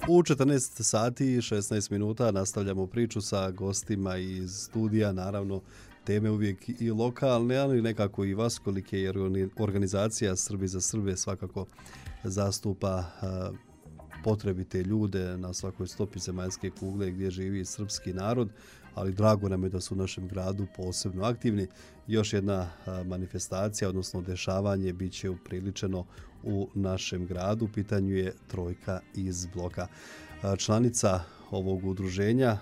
U 14 sati i 16 minuta nastavljamo priču sa gostima iz studija, naravno teme uvijek i lokalne, ali nekako i vaskolike, jer organizacija Srbi za Srbe svakako zastupa potrebite ljude na svakoj stopi zemaljske kugle gdje živi srpski narod, ali drago nam je da su u našem gradu posebno aktivni. Još jedna manifestacija, odnosno dešavanje, bit će upriličeno u našem gradu. U pitanju je Trojka iz bloka. Članica ovog udruženja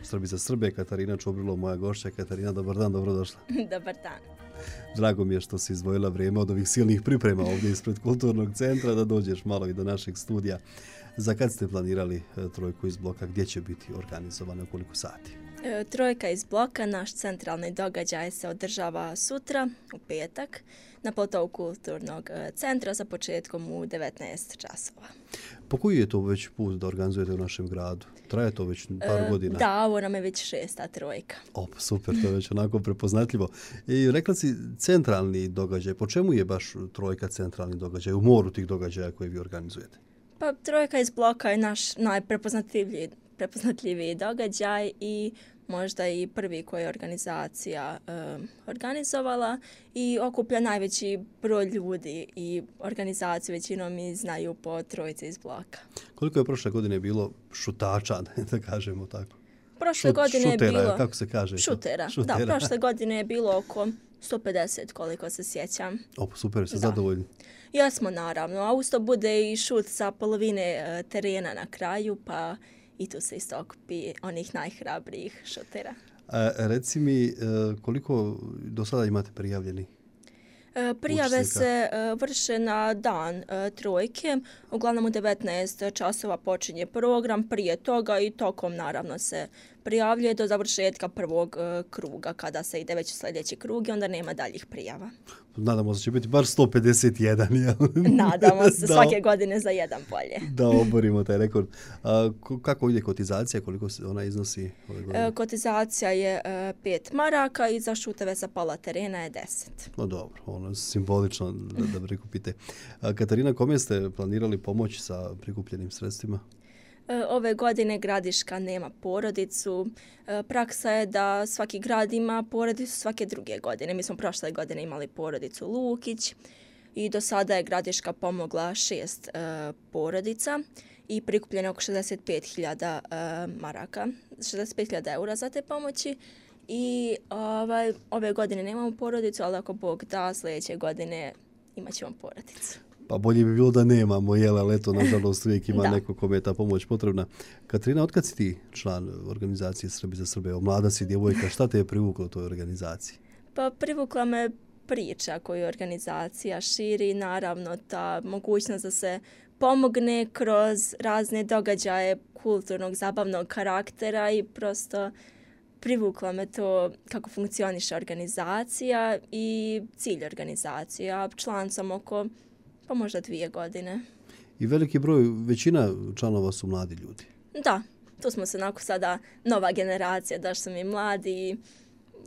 Srbi za Srbe, Katarina Čobrilo, moja gošća. Katarina, dobar dan, dobrodošla. Dobar dan. Drago mi je što si izdvojila vrijeme od ovih silnih priprema ovdje ispred Kulturnog centra da dođeš malo i do našeg studija. Za kad ste planirali Trojku iz bloka? Gdje će biti organizovana, koliko sati? Trojka iz bloka, naš centralni događaj, se održava sutra, u petak, na platovu Kulturnog centra sa početkom u 19 časova. Po koji je to već put da organizujete u našem gradu? Traje to već par godina? Da, ovo nam je već 6. trojka. Super, to je već onako prepoznatljivo. I rekla si centralni događaj. Po čemu je baš Trojka centralni događaj u moru tih događaja koje vi organizujete? Pa Trojka iz bloka je naš najprepoznatljiviji događaj i možda i prvi koji je organizacija organizovala i okuplja najveći broj ljudi i organizaciju većinom i znaju po Trojci iz bloka. Koliko je prošle godine bilo šutača, da kažemo tako? Prošle godine je bilo... Kako se kaže? Šutera. Da, prošle godine je bilo oko 150, koliko se sjećam. Super, ste zadovoljni? Jesmo, naravno. A usto bude i šut sa polovine terena na kraju, pa i tu se isto okupi onih najhrabrijih šutera. Reci mi, koliko do sada imate prijavljeni? Prijave se vrše na dan Trojke. Uglavnom u 19 časova počinje program. Prije toga i tokom naravno se prijavljuje do završetka prvog kruga. Kada se ide već u sljedeći krug i onda nema daljih prijava. Nadamo se će biti bar 151, jel? Nadamo se, svake godine za jedan bolje. Da oborimo taj rekord. Kako ide kotizacija, koliko se ona iznosi ove godine? Kotizacija je 5 maraka i za šuteve sa pola terena je 10. No dobro, ono je simbolično da prikupite. Katarina, kome ste planirali pomoć sa prikupljenim sredstvima? Ove godine Gradiška nema porodicu. Praksa je da svaki grad ima porodicu svake druge godine. Mi smo prošle godine imali porodicu Lukić i do sada je Gradiška pomogla 6 porodica i prikupljeno oko 65.000 maraka, 65.000 eura za te pomoći. I ove godine nemamo porodicu, ali ako Bog da, sljedeće godine imat ćemo porodicu. Pa bolje bi bilo da nemamo, ali eto, nažalost, uvijek ima neko kome je ta pomoć potrebna. Katarina, otkad si ti član organizacije Srbi za Srbe? Mlada si djevojka, šta te je privuklo u toj organizaciji? Pa privukla me priča koju organizacija širi, naravno ta mogućnost da se pomogne kroz razne događaje kulturnog, zabavnog karaktera i prosto privukla me to kako funkcioniše organizacija i cilj organizacije. A član sam oko pa možda 2 godine. I veliki broj, većina članova su mladi ljudi. Da, tu smo se onako sada nova generacija, da su mi mladi i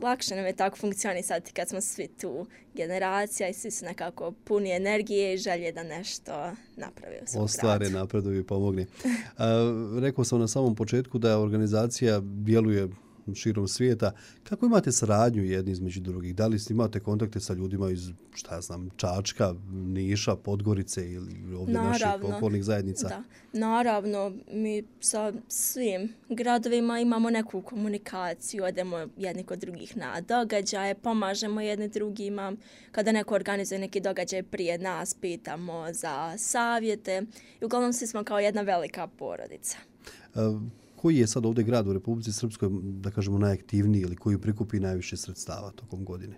lakše nam je tako funkcionisati kad smo svi tu generacija i svi su nekako puni energije i želje da nešto naprave u svom gradu. Ostvare, napreduju i pomogne. Rekao sam na samom početku da organizacija djeluje širom svijeta. Kako imate saradnju jedni između drugih? Da li imate kontakte sa ljudima iz, Čačka, Niša, Podgorice ili ovdje naših okolnih zajednica? Da, naravno. Mi sa svim gradovima imamo neku komunikaciju, odemo jedni kod drugih na događaje, pomažemo jedni drugima. Kada neko organizuje neki događaj prije nas, pitamo za savjete. I uglavnom svi smo kao jedna velika porodica. Koji je sad ovdje grad u Republici Srpskoj, da kažemo, najaktivniji ili koji prikupi najviše sredstava tokom godine?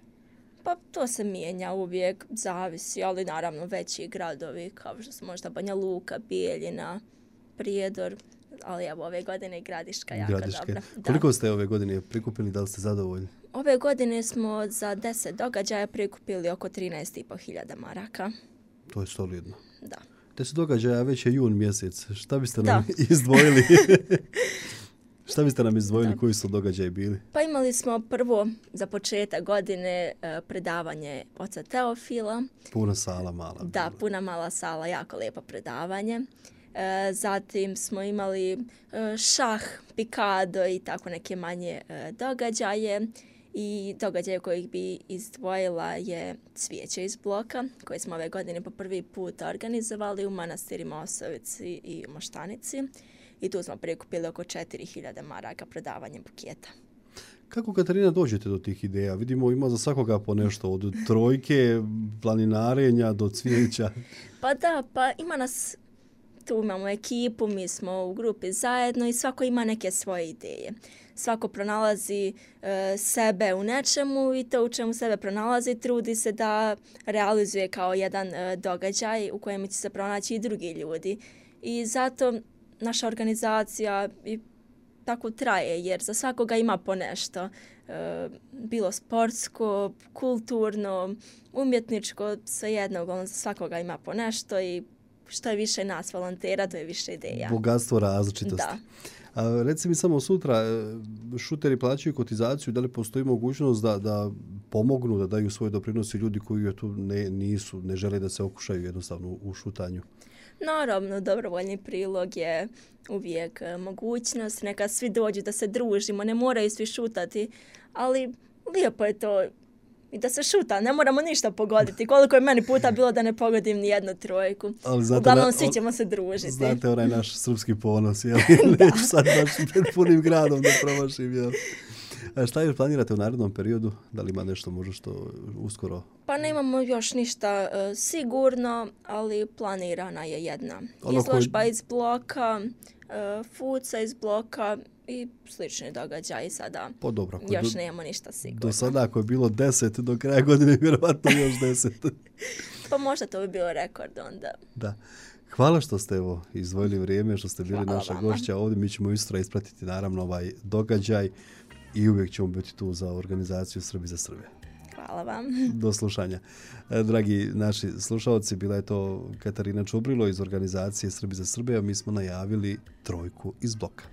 Pa to se mijenja uvijek, zavisi, ali naravno veći gradovi kao što su možda Banja Luka, Bijeljina, Prijedor, ali evo ove godine i Gradiška jako dobra. Koliko ste ove godine prikupili, da li ste zadovoljni? Ove godine smo za 10 događaja prikupili oko 13.500 maraka. To je solidno. Da. 10 događaja, već je jun mjesec. Šta biste nam izdvojili? Šta biste nam izdvojili, koji su događaji bili? Pa imali smo prvo za početak godine predavanje oca Teofila. Puna sala mala. Da, puna mala sala, jako lijepo predavanje. Zatim smo imali šah, pikado i tako neke manje događaje. I događaj kojih bi izdvojila je cvijeće iz bloka, koje smo ove godine po prvi put organizovali u manastirima Osovici i Moštanici. I tu smo prikupili oko 4000 maraka prodavanjem buketa. Kako, Katarina, dođete do tih ideja? Vidimo, ima za svakoga po nešto, od trojke, planinarenja do cvijeća. Pa da, pa ima nas, tu imamo ekipu, mi smo u grupi zajedno i svako ima neke svoje ideje. Svako pronalazi sebe u nečemu i to u čemu sebe pronalazi trudi se da realizuje kao jedan događaj u kojem će se pronaći i drugi ljudi. I zato naša organizacija i tako traje, jer za svakoga ima po nešto. Bilo sportsko, kulturno, umjetničko, svejedno, uglavnom za svakoga ima po nešto i što je više nas volontera, to je više ideja. Bogatstvo različitosti. Da. A reci mi samo sutra, šuteri plaćaju kotizaciju, da li postoji mogućnost da pomognu, da daju svoj doprinos i ljudi koji tu ne žele da se okušaju jednostavno u šutanju? Naravno, dobrovoljni prilog je uvijek mogućnost. Neka svi dođu da se družimo, ne moraju svi šutati, ali lijepo je to i da se šuta, ne moramo ništa pogoditi. Koliko je meni puta bilo da ne pogodim ni jednu trojku. Uglavnom svi ćemo se družiti. Znate onaj naš srpski ponos, jel? Neću sad baš pred punim gradom da promašim, jel? A šta još planirate u narednom periodu? Da li ima nešto možda što uskoro? Pa nemamo još ništa sigurno, ali planirana je jedna izložba iz bloka, fuca iz bloka i slični događaji sada. Pa dobro. Još nemamo ništa sigurno. Do sada ako je bilo 10, do kraja godine vjerovatno još 10. Pa možda to bi bio rekord onda. Da. Hvala što ste izdvojili vrijeme, što ste bili naša gošća ovdje. Mi ćemo isto ispratiti naravno ovaj događaj i uvijek ćemo biti tu za organizaciju Srbi za Srbe. Hvala vam. Do slušanja. Dragi naši slušalci, bila je to Katarina Čubrilo iz organizacije Srbi za Srbe, a mi smo najavili trojku iz bloka.